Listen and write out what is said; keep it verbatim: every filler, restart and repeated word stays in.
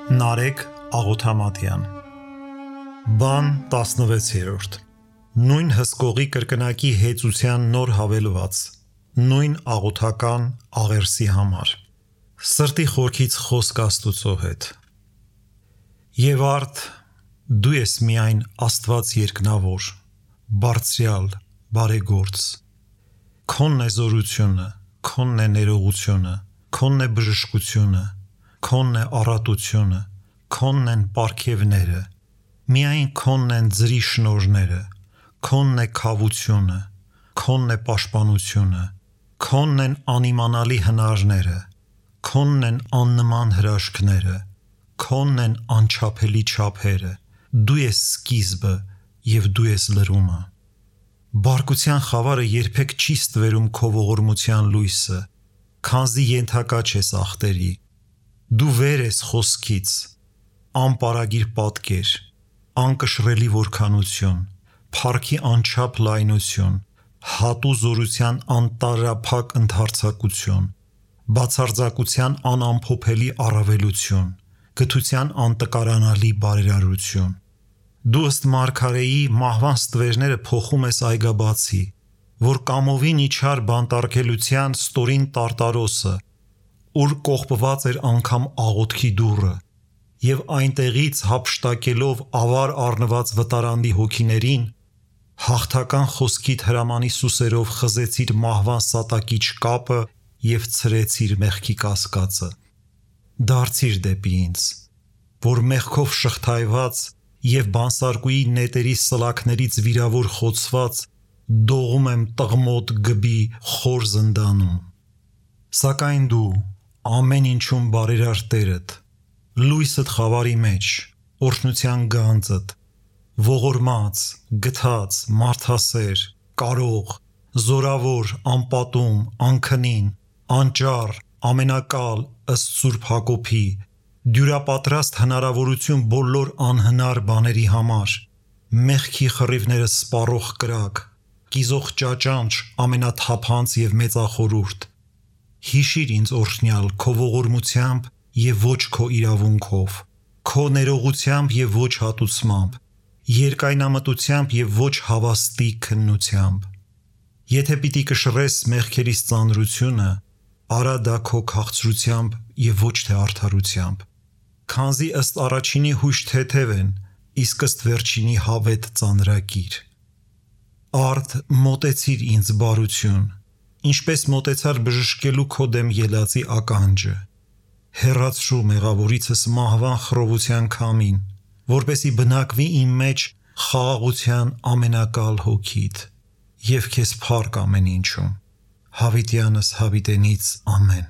Նարեկ Աղոթամատյան Բան տասնվեցերորդ Նույն հսկողի կրկնակի հեծության նոր հավելված Նույն աղոթական աղերսի համար Սրտի խորքից խոսք Աստուծո հետ Եվ արդ դու ես միայն Աստված երկնավոր Բարձրյալ, բարեգործ Քոնն է զորությունը, քոնն է ներողությունը, քոնն է բժշկությունը Քոնն է առատությունը, քոնն են պարգևները, միայն քոնն են ձրի շնորհները, քոնն է քավությունը, քոնն է պաշտպանությունը, քոնն են անիմանալի հնարները, քոնն են աննման հրաշքները, քոնն են անչափելի չափերը, դու ես սկիզբը և դու ես լրումը։ Բարկության խավարը երբեք չի ստվերում քո ողորմության լույսը, քանզի ենթակա չես ախտերի։ Դու վեր ես խոսքից, անպարագիր պատկեր, անկշռելի որքանություն, փառքի անչափ լայնություն, հատու զորության անտարափակ ընդարձակություն, բացարձակության անամփոփելի առավելություն, գթության անտկարանալի բարերարություն։ Դու ըստ մարգարեի մահվան ստվերները փոխում ես այգաբացի, որ կամովին իջար բանտարկելության ստորին տարտարոսը, ուր կողպված էր անգամ աղոթքի դուռը, և այնտեղից հափշտակելով ավար առնված վտարանդի հոգիներին, հաղթական խոսքիդ հրամանի սուսերով խզեցիր մահվան սատակիչ կապը և ցրեցիր մեղքի կասկածը։ Դարձիր դեպի ինձ, որ մեղքով շղթայված և բանսարկուի նետերի սլաքներից վիրավոր խոցված դողում եմ տղմոտ գբի խոր զնդանում։ Սակայն դու ամեն ինչում բարերար Տերդ, լույսդ խավարի մեջ, օրհնության գանձդ, ողորմած, գթած, մարդասեր, կարող, զորավոր, անպատում, անքնին, անճառ, ամենակալ, ըստ Սուրբ Հակոբի, դյուրապատրաստ հնարավորություն բոլոր անհնար բաների համար, մեղքի խռիվները սպառող կրակ, կիզող ճաճանճ, ամենաթափանց և մեծախորհուրդ, հիշիր ինձ օրհնյալ քո ողորմությամբ և ոչ քո իրավունքով, քո ներողությամբ և ոչ հատուցմամբ, երկայնամտությամբ և ոչ հավաստի քննությամբ։ Եթե պիտի կշռես մեղքերիս ծանրությունը, արա դա քո քաղցրությամբ և ոչ թե արդարությամբ, քանզի ըստ առաջինի հույժ թեթև են, իսկ ըստ վերջինի հավետ ծանրակիր։ Արդ մոտեցիր ինձ բարություն, ինչպես մոտեցար բժշկելու քո դեմ ելածի ականջը, հեռացրու մեղավորիցս մահվան խռովության քամին, որպեսզի բնակվի իմ մեջ խաղաղության ամենակալ հոգիդ, և քեզ փառք ամեն ինչում, հավիտյանս հավիտենից ամեն։